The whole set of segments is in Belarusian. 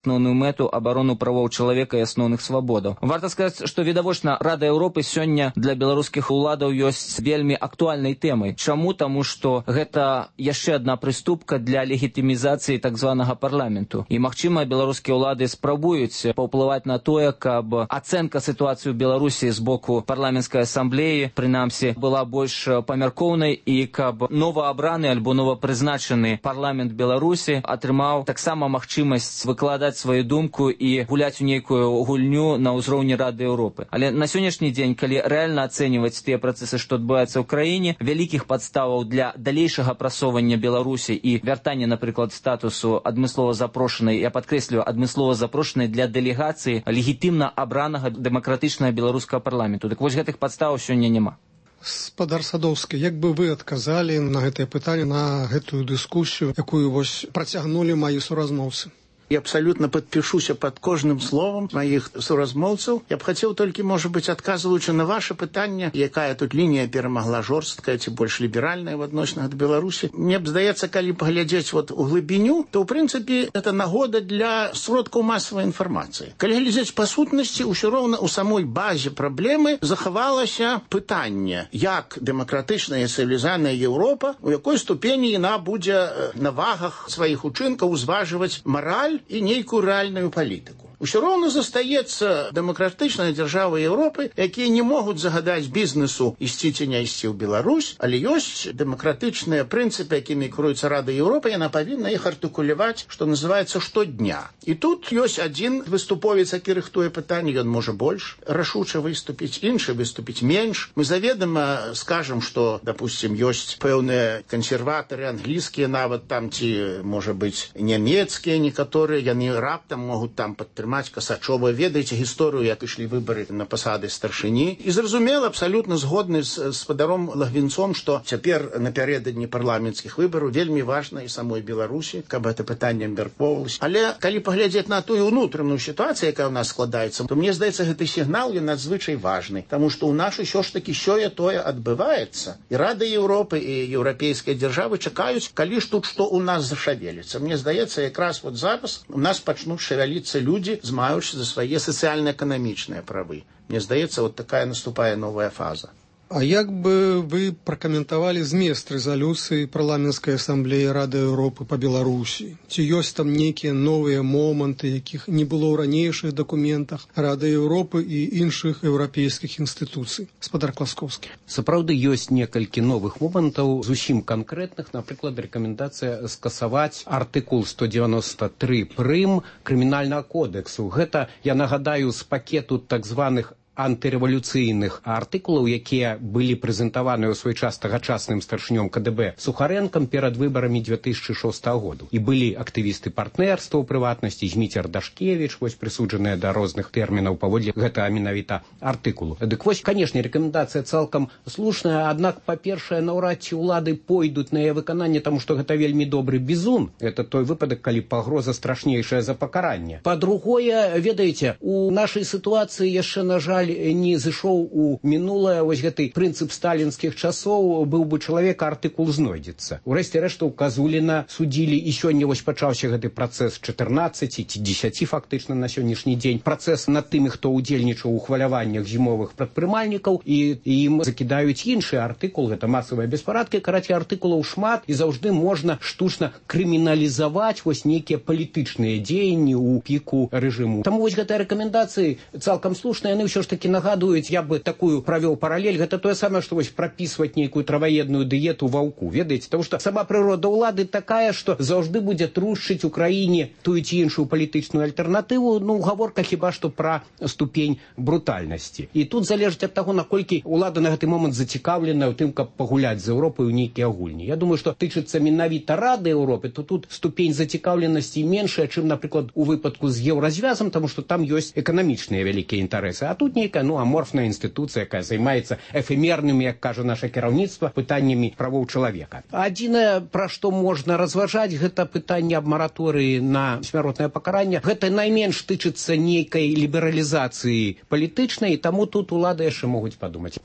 основную мэту абарону правоў чалавека і асноўных свабодаў. Варта сказаць, што відавочна Рада Еўропы сёння для беларускіх уладаў ёсць вельмі актуальнай тэмай. Чаму? Таму што гэта яшчэ адна прыступка для легітымізацыі так званага парламенту. І, магчыма, беларускія ўлады спрабуюць паўплываць на тое, каб ацэнка сітуацыі ў Беларусі з боку парламенцкай асамблеі, прынамсі, была больш памяркоўнай і каб новаабраны альбо новапрызначаны парламент Беларусі атрымаў таксама магчымасць выкладаць свою думку і гуляць у нейкую гульню на ўзроўні Рады Еўропы. Але на сённяшні дзень, калі рэальна ацэньваць тыя працэсы, што адбываюцца ў краіне, вялікіх падставаў для далейшага прасоўвання Беларусі і вяртання, напрыклад, статусу адмыслова запрошанай, я падкрэслю, адмыслова запрошанай для дэлегацыі легітымна абранага дэмакратычнага беларускага парламенту. Так вось гэтых падставаў сёння няма. Спадар Садоўскі, як бы вы адказалі на гэтае пытанне, на гэтую дыскусію, якую вось працягнулі маі суразмоўцы? Я абсолютно подпишуся под кожным словом моих суразмоўцаў. Я б хотел только, может быть, отказываючи на ваше пытанне, якая тут линия перамагла жорсткая ці больш ліберальная в адносінах до Беларусі. Мне б здаецца, калі паглядзець вот у глыбіню, то, в принципе, это нагода для сродкаў масавай інфармацыі. Калі глядзець па сутнасці, ўсё роўна у самой базе праблемы захавалася пытанне, як дэмакратычная цывілізаваная Еўропа, у якой ступені яна будзе на вагах сваіх учынкаў узважваць мараль і нейкую рэальную палітыку. Усё роўна застаецца дэмакратычная дзяржава Еўропы, якія не могуць загадаць бізнесу ісці ці не ісці ў Беларусь, але ёсць дэмакратычныя прынцыпы, якімі кіруецца Рада Еўропы, яна павінна іх артыкуляваць, што называецца штодня. І тут ёсць адзін выступовец, які рыхтуе пытанне, ён можа больш рашуча выступіць, іншы выступіць менш. Мы заведама скажам, што, допустим, ёсць пэўныя кансерватары англійскія, нават там ці, можа быць, нямецкія некаторыя, яны раптам могуць там падтрымаць Касачова. Ведаеце гісторыю, як ішлі выбары на пасады старшыні. І зразумела, абсалютна згодны з спадаром Лагвінцом, што цяпер напярэдадні парламенцкіх выбараў вельмі важна і самой Беларусі, каб гэта пытанне абмяркоўвалася. Але калі паглядзець на тую ўнутраную сітуацыю, якая ў нас складаецца, то мне здаецца, гэты сігнал ён надзвычай важны, таму што ў нас усё ж такі сёе-тое адбываецца. І Рада Еўропы і еўрапейскія дзяржавы чакаюць, калі ж тут што ў нас зашавеліцца. Мне здаецца, якраз вот зараз у нас пачнуць шавяліцца людзі, змаючы за свае сацыяльна-эканамічныя правы. Мне здаецца, вот такая наступае новая фаза. А як бы вы пракаментавалі змест рэзалюцыі парламенцкай асамблеі Рады Еўропы па Беларусі? Ці ёсць там нейкія новыя моманты, якіх не было ў ранейшых дакументах Рады Еўропы і іншых еўрапейскіх інстытуцый? Спадар Класкоўскі. Сапраўды ёсць некалькі новых момантаў, зусім канкрэтных, напрыклад, рэкамендацыя скасаваць артыкул 193 прым крымінальнага кодексу. Гэта, я нагадаю, з пакету так званых антырэвалюцыйных артыкулаў, якія былі прэзентаваны ў свой час тагачасным старшынём КДБ Сухарэнкам перад выбарамі 2006 году. І былі актывісты партнерства, у прыватнасці Зміцер Дашкевіч, вось прысуджаныя да розных тэрмінаў паводле гэтага менавіта артыкулу. Дык вось, канешне, рэкамендацыя цалкам слушная, аднак, па-першае, наўрад ці ўлады пойдуць на яе выкананне, таму што гэта вельмі добры бізун. Это той выпадак, калі пагроза страшнейшая за пакаранне. Па-другое, ведаеце, у нашай сітуацыі яшчэ, на жаль, не зышоў у мінулае вось гэты прынцып сталінскіх часоў, быў бы чалавек, артыкул знойдзецца. Урэшце рэшту Казуліна судзілі, і сёння вось пачаўся гэты працэс 14 ці 10 фактычна на сённяшні дзень. Працэс над тымі, хто ўдзельнічаў у хваляваннях зімовых прадпрымальнікаў, і ім закідаюць іншы артыкул, гэта масавыя беспарадкі. Карацей, артыкулаў шмат, і заўжды можна штучна крыміналізаваць вось нейкія палітычныя дзеянні ў піку рэжыму. Таму вось гэтыя рэкамендацыі цалкам слушныя, яны ўсё ж такі нагадуюць, я бы такую правёў паралель, гэта тое самае, што вось прапісваць нейкую траваедную дыету ваўку, ведаеце, таму што сама прырода ўлады такая, што заўжды будзе трушчыць у краіне тую ці іншую палітычную альтэрнатыву, ну, гаворка хіба што пра ступень брутальнасці. І тут залежыць ад таго, наколькі ўлада на гэты момант зацікаўлена ў тым, каб пагуляць з Еўропай у нейкія гульні. Я думаю, што тычыцца менавіта Рады Еўропы, то тут ступень зацікаўленасці меншая, чым, напрыклад, у выпадку з еўразвязам, таму што там ёсць эканамічныя вялікія інтарэсы. А тут нейкая, ну, аморфная інстытуцыя, якая займаецца эфемернымі, як кажа наша кіраўніцтва, пытаннямі правоў чалавека. Адзінае, пра што можна разважаць, гэта пытанне аб мараторыі на смяротнае пакаранне. Гэта найменш тычыцца нейкай лібералізацыі палітычнай, і таму тут улады яшчэ могуць падумаць.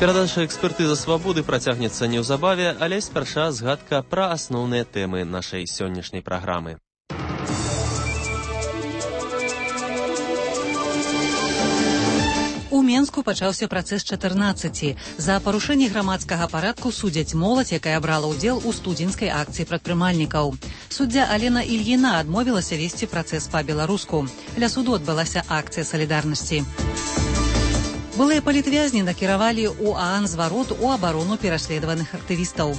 Перадача экспертыза свабоды працягнецца неўзабаве, але спярша згадка пра асноўныя тэмы нашай сённяшняй праграмы. У Менску пачаўся працэс 14. За парушэнне грамадскага парадку судзяць моладзь, якая брала ўдзел у студзеньскай акцыі прадпрымальнікаў. Суддзя Алена Ільіна адмовілася весці працэс па-беларуску. Ля суду адбылася акцыя салідарнасці. Былыя палітвязні накіравалі ў ААН зварот у абарону пераследаваных актывістаў.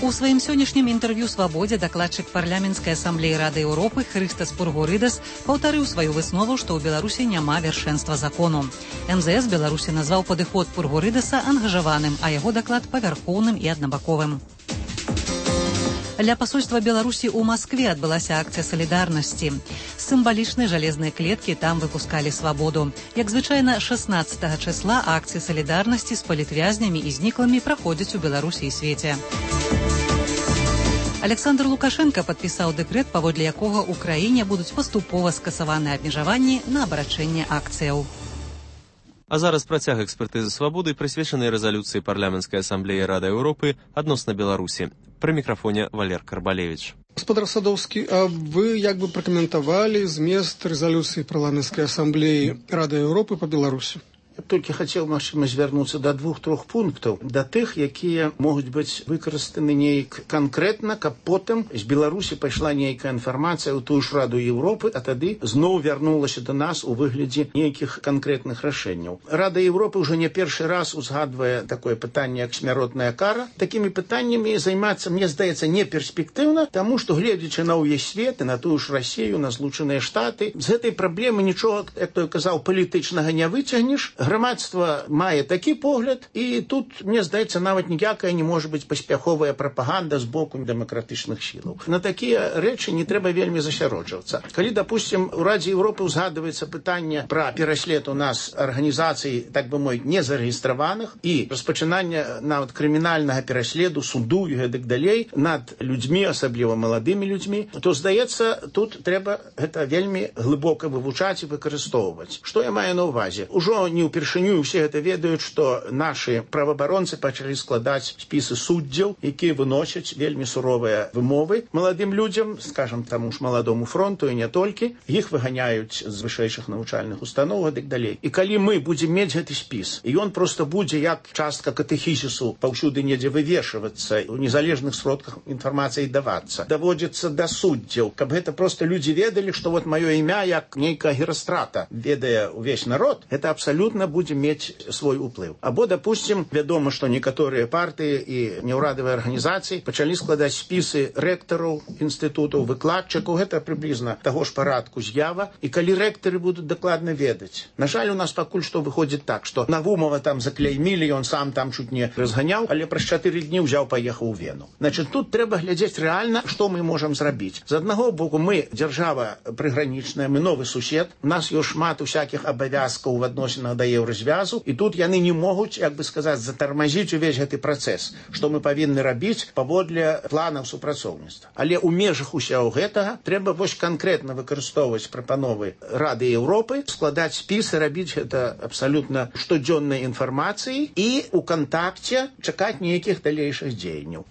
У сваім сённяшнім інтэрв'ю «Свабодзе» дакладчык парламенцкай асамблеі Рады Еўропы Хрыстас Пургорыдас паўтарыў сваю выснову, што ў Беларусі няма вяршэнства закону. МЗС Беларусі назваў падыход Пургорыдаса ангажаваным, а яго даклад павярхоўным і аднабаковым. Ля пасольства Беларусі ў Маскве адбылася акцыя салідарнасці. З сімвалічнай жалезнай клеткі там выпускалі свабоду. Як звычайна, 16 числа акцыі салідарнасці з палітвязнямі і зніклымі праходзяць у Беларусі і свеце. Александр Лукашенко падпісаў дэкрэт, паводле якога ў краіне будуць паступова скасаваныя абмежаванні на абарачэнне акцыяў. А зараз працяг экспертызы свабоды, прысвечанай рэзалюцыі парламенцкай асамблеі Рады Еўропы адносна Беларусі. Пры мікрафоне Валер Карбалевіч. Гаспадар Садоўскі, а вы як бы пракаментавалі змест рэзалюцыі парламенцкай асамблеі Рады Еўропы па Беларусі? Я толькі хацеў, магчыма, звярнуцца да 2-3 пунктаў, да тых, якія могуць быць выкарыстаны нейк канкрэтна, каб потым з Беларусі пайшла нейкая інфармацыя ў тую ж Раду Еўропы, а тады зноў вярнулася да нас у выглядзе нейкіх канкрэтных рашэнняў. Рада Еўропы ўжо не першы раз узгадвае такое пытанне, як смяротная кара. Такімі пытаннямі займацца, мне здаецца, не перспектыўна, таму што, гледзячы на ўвесь свет і на тую ж Расію, на Злучаныя Штаты, з гэтай праблемы нічога, як той казаў, палітычнага не выцягнеш. Грамадства мае такі погляд, і тут, мне здаецца, нават ніякая не можа быць паспяховая прапаганда з боку дэмакратычных сілаў. На такія рэчы не трэба вельмі засяроджвацца. Калі, допустим, у Радзе Еўропы ўзгадваецца пытанне пра пераслед у нас арганізацый, так бы мовіць, незарэгістраваных і распачынання нават крымінальнага пераследу, суду і гэтак далей над людзьмі, асабліва маладымі людзьмі, то, здаецца, тут трэба гэта вельмі глыбока вывучаць і выкарыстоўваць. Што я маю на ўвазе? Ужо не упершыню усе гэта ведаюць, што нашы праваабаронцы пачалі складаць спісы суддзяў, якія выносяць вельмі суровыя вымовы маладым людзям, скажам, таму ж маладому фронту і не толькі. Іх выганяюць з вышэйшых навучальных устаноў і так далей. І калі мы будзем мець гэты спіс, і ён проста будзе як частка катэхізісу паўсюды недзе вывешвацца, у незалежных сродках інфармацыі давацца, даводзіцца да суддзяў, каб гэта проста людзі ведалі, што вот маё імя як нейкая Герастрата ведае ўвесь народ, гэта абсалютна будзе мець свой уплыў. Або, допустим, вядома, што некаторыя партыі і неўрадавыя арганізацыі пачалі складаць спісы рэктараў інстытутаў, выкладчыкаў, гэта прыблізна таго ж парадку з'ява, і калі рэктары будуць дакладна ведаць. На жаль, у нас пакуль што выходзіць так, што Навумова там заклеймілі, ён сам там чуть не разганяў, але праз 4 дні ўзяў, паехаў у Вену. Значит, тут трэба глядзець рэальна, што мы можам зрабіць. З аднаго боку, мы дзяржава прыгранічная, мы новы сусед, у нас ёсць шмат усякіх абавязкаў в адносінах да еўразвязу, і тут яны не могуць, як бы сказаць, затармазіць увесь гэты працэс, што мы павінны рабіць паводле планаў супрацоўніцтва. Але ў межах усяго гэтага трэба вось канкрэтна выкарыстоўваць прапановы Рады Еўропы, складаць спісы, рабіць гэта абсалютна штодзённай інфармацыі і ў кантакце чакаць нейкіх далейшых дзеянняў.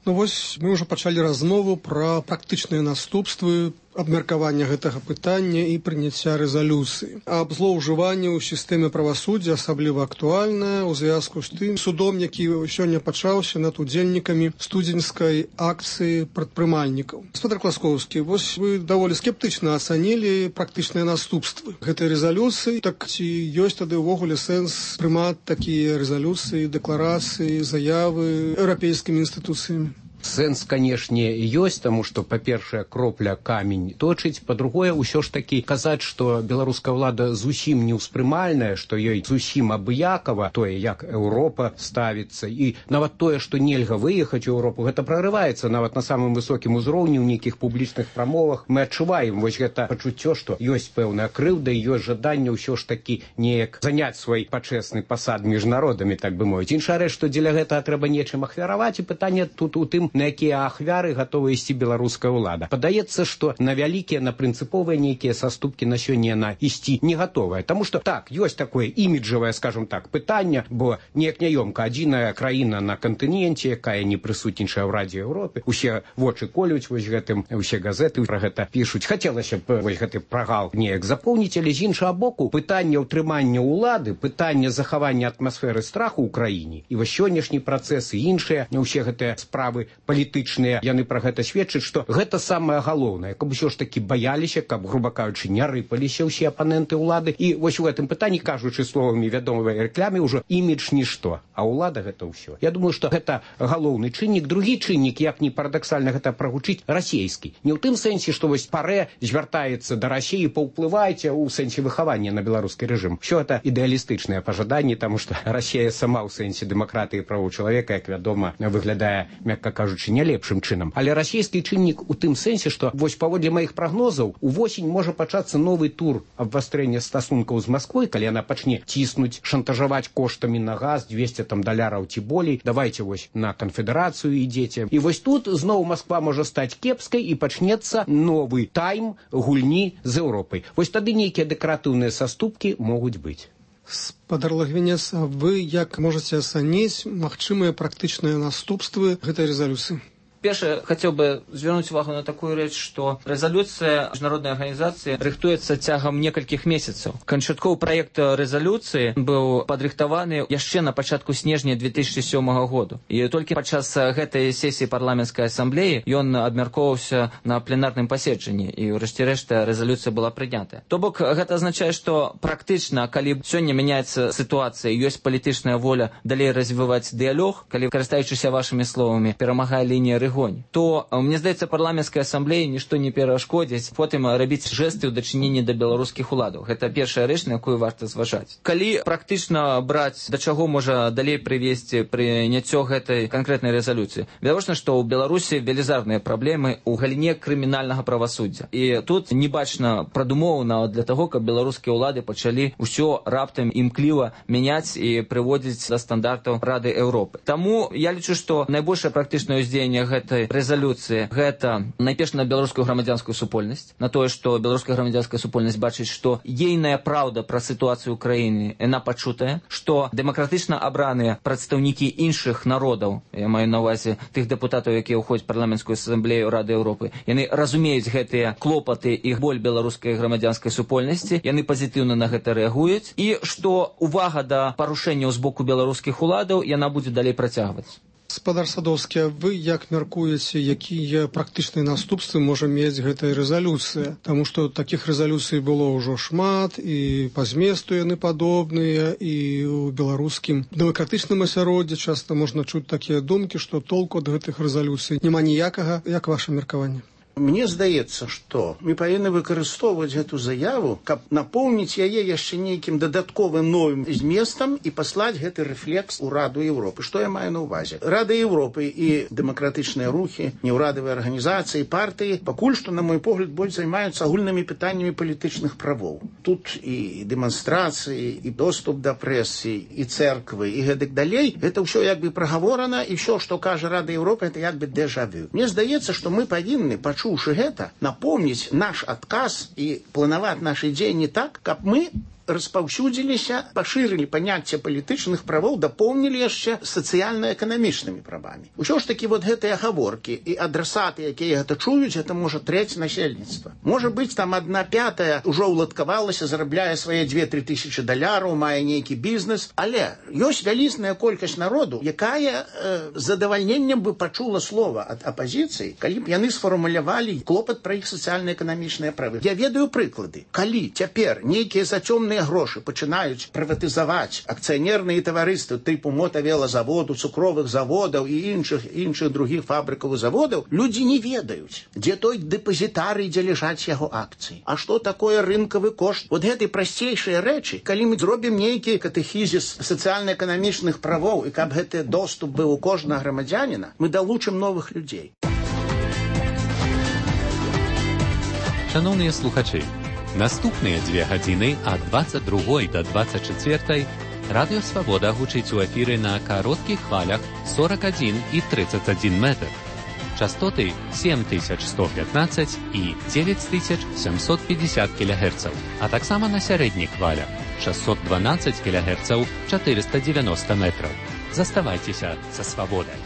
Ну вось мы ўжо пачалі размову пра практычныя наступствы абмеркавання гэтага пытання і прыняцця рэзалюцыі. Аб злоўжыванні ў сістэме правасуддзя асабліва актуальнае ў звязку з тым судом, які сёння пачаўся над удзельнікамі студзеньскай акцыі прадпрымальнікаў. Гаспадар Класкоўскі, вось вы даволі скептычна ацанілі практычныя наступствы гэтай рэзалюцыі. Так ці ёсць тады ўвогуле сэнс прымаць такія рэзалюцыі, дэкларацыі, заявы еўрапейскімі інстытуцыямі? Сэнс, канешне, ёсць, таму што, па-першае, кропля камень точыць, па-другое, ўсё ж такі казаць, што беларуская ўлада зусім неўспрымальная, што ёй зусім абыякава тое, як Еўропа ставіцца, і нават тое, што нельга выехаць у Еўропу, гэта прарываецца нават на самым высокім узроўні ў нейкіх публічных прамовах. Мы адчуваем вось гэта пачуццё, што ёсць пэўная крыўда і ёсць жаданне ўсё ж такі неяк заняць свой пачэсны пасад між народамі, так бы мовіць. Іншая рэч, што дзеля гэтага трэба нечым ахвяраваць, і пытанне тут у тым, на якія ахвяры гатова ісці беларуская ўлада. Падаецца, што на вялікія, на прынцыповыя нейкія саступкі на сёння яна ісці не гатовая. Таму што так, ёсць такое іміджавае, скажем так, пытанне, бо неяк няёмка адзіная краіна на кантыненце, якая не прысутнічае ў Радзе Еўропы. Усе вочы колюць вось гэтым, усе газеты пра гэта пішуць. Хацелася б вось гэты прагал неяк запоўніць, але з іншага боку, пытанне ўтрымання ўлады, пытанне захавання атмасферы страху ў краіне, і вось сённяшні працэс і іншыя, усе гэтыя справы палітычныя, яны пра гэта сведчаць, што гэта самае галоўнае, каб усё ж такі баяліся, каб, груба кажучы, не рыпаліся ўсе апаненты ўлады. І вось у гэтым пытанні, кажучы словамі вядомай рэкламы, ўжо імідж нішто, а ўлада гэта ўсё. Я думаю, што гэта галоўны чыннік. Другі чыннік, як не парадаксальна гэта прагучыць, расійскі. Не ў тым сэнсе, што вось парэ звяртаецца да Расіі, паўплывайце ў сэнсе выхавання на беларускі рэжым. Усё гэта ідэалістычныя пажаданні, таму што Расія сама ў сэнсе дэмакратыі і правоў чалавека, як вядома, выглядае, мякка кажучы, не лепшым чынам. Але расійскі чыннік у тым сэнсе, што вось паводле маіх прагнозаў увосень можа пачацца новы тур абвастрэння стасункаў з Масквой, калі яна пачне ціснуць, шантажаваць коштамі на газ, 200 даляраў ці болей. Давайте вось на канфедэрацыю ідзеце. І вось тут зноў Масква можа стаць кепскай і пачнецца новы тайм гульні з Еўропай. Вось тады нейкія дэкаратыўныя саступкі могуць быць. Спадар Лагвінец, вы як можаце ацаніць магчымыя практычныя наступствы гэтай рэзалюцыі? Першае, хацеў бы звярнуць увагу на такую рэч, што рэзалюцыя міжнароднай арганізацыі рыхтуецца цягам некалькіх месяцаў. Канчатковы праект рэзалюцыі быў падрыхтаваны яшчэ на пачатку снежня 2007 году. І толькі падчас гэтай сесіі парламенцкай асамблеі ён абмяркоўваўся на пленарным паседжанні, і ўрэшце рэшта рэзалюцыя была прынятая. То бок гэта азначае, што практычна, калі сёння мяняецца сітуацыя, ёсць палітычная воля далей развіваць дыялог, калі, карыстаючыся вашымі словамі, перамагае лінія рэгонь, то, мне здаецца, парламенцкай асамблеі нішто не перашкодзіць потым рабіць жэсты ў дачыненні да беларускіх уладаў. Гэта першая рэч, на якую варта зважаць. Калі практычна браць, да чаго можа далей прывесці прыняццё гэтай канкрэтнай рэзалюцыі? Відавочна, што ў Беларусі велізарныя праблемы ў галіне крымінальнага правасуддзя. І тут не бачна прадумоваў нават для таго, каб беларускія ўлады пачалі ўсё раптам імкліва мяняць і прыводзіць да стандартаў Рады Еўропы. Таму я лічу, што найбольшае практычнае ўздзеянне гэтай рэзалюцыі гэта найперш на беларускую грамадзянскую супольнасць, на тое, што беларуская грамадзянская супольнасць бачыць, што ейная праўда пра сітуацыю ў краіне яна пачутая, што дэмакратычна абраныя прадстаўнікі іншых народаў, я маю на ўвазе тых дэпутатаў, якія ўходзяць у парламенцкую асамблею Рады Еўропы, яны разумеюць гэтыя клопаты і боль беларускай грамадзянскай супольнасці, яны пазітыўна на гэта рэагуюць, і што увага да парушэнняў з боку беларускіх уладаў яна будзе далей працягваць. Спадар Садоўскі, вы як мяркуеце, якія практычныя наступствы можа мець гэтая рэзалюцыя? Таму што такіх рэзалюцый было ўжо шмат, і па зместу яны падобныя, і ў беларускім дэмакратычным асяроддзі часта можна чуць такія думкі, што толку ад гэтых рэзалюцый няма ніякага. Як ваша меркаванне? Мне здаецца, што мы павінны выкарыстоўваць гэту заяву, каб напоўніць яе яшчэ нейкім дадатковым новым зместам і паслаць гэты рэфлекс у Раду Еўропы. Што я маю на ўвазе? Рада Еўропы і дэмакратычныя рухі, неўрадавыя арганізацыі, партыі пакуль што, на мой погляд, больш займаюцца агульнымі пытаннямі палітычных правоў. Тут і дэманстрацыі, і доступ да прэсы, і цэрквы, і гэтак далей. Гэта ўсё як бы прагаворана, і ўсё, што кажа Рада Еўропы, гэта як бы дэжавю. Мне здаецца, што мы павінны пачуць гэта, напомніць наш адказ і планаваць нашы дзеянні так, каб мы распаўсюдзіліся, пашырылі паняцце палітычных правоў, дапоўнілі яшчэ сацыяльна-эканамічнымі правамі. Усё ж такі вот гэтыя гаворкі і адрасаты, якія гэта чуюць, гэта можа трэць насельніцтва. Можа быць, там 1/5 ўжо ўладкавалася, зарабляе свае 2-3 тысячы даляраў, мае нейкі бізнес, але ёсць вялізная колькасць народу, якая з задавальненнем бы пачула слова ад апазіцыі, калі б яны сфармулявалі клопат пра іх сацыяльна-эканамічныя правы. Я ведаю прыклады. Калі цяпер нейкія зацёмныя грошы пачынаюць прыватызаваць акцыянерныя таварыствы тыпу мотавелазаводу, цукровых заводаў і іншых другіх фабрыкаў і заводаў, людзі не ведаюць, дзе той дэпазітарый, дзе ляжаць яго акцыі. А што такое рынкавы кошт? Вот гэтай прасцейшыя рэчы, калі мы зробім нейкі катэхізіс сацыяльна-эканамічных правоў і каб гэты доступ быў у кожнага грамадзяніна, мы далучым новых людзей. Шановныя слухачы, наступныя 2 гадзіны ад 22 до 24 Радыё Свабода гучыць у эфіры на кароткіх хвалях 41 і 31 метр. Частоты 7115 і 9750 кГц, а таксама на сярэдніх хвалях 612 кГц 490 метраў. Заставайцеся са свабодай.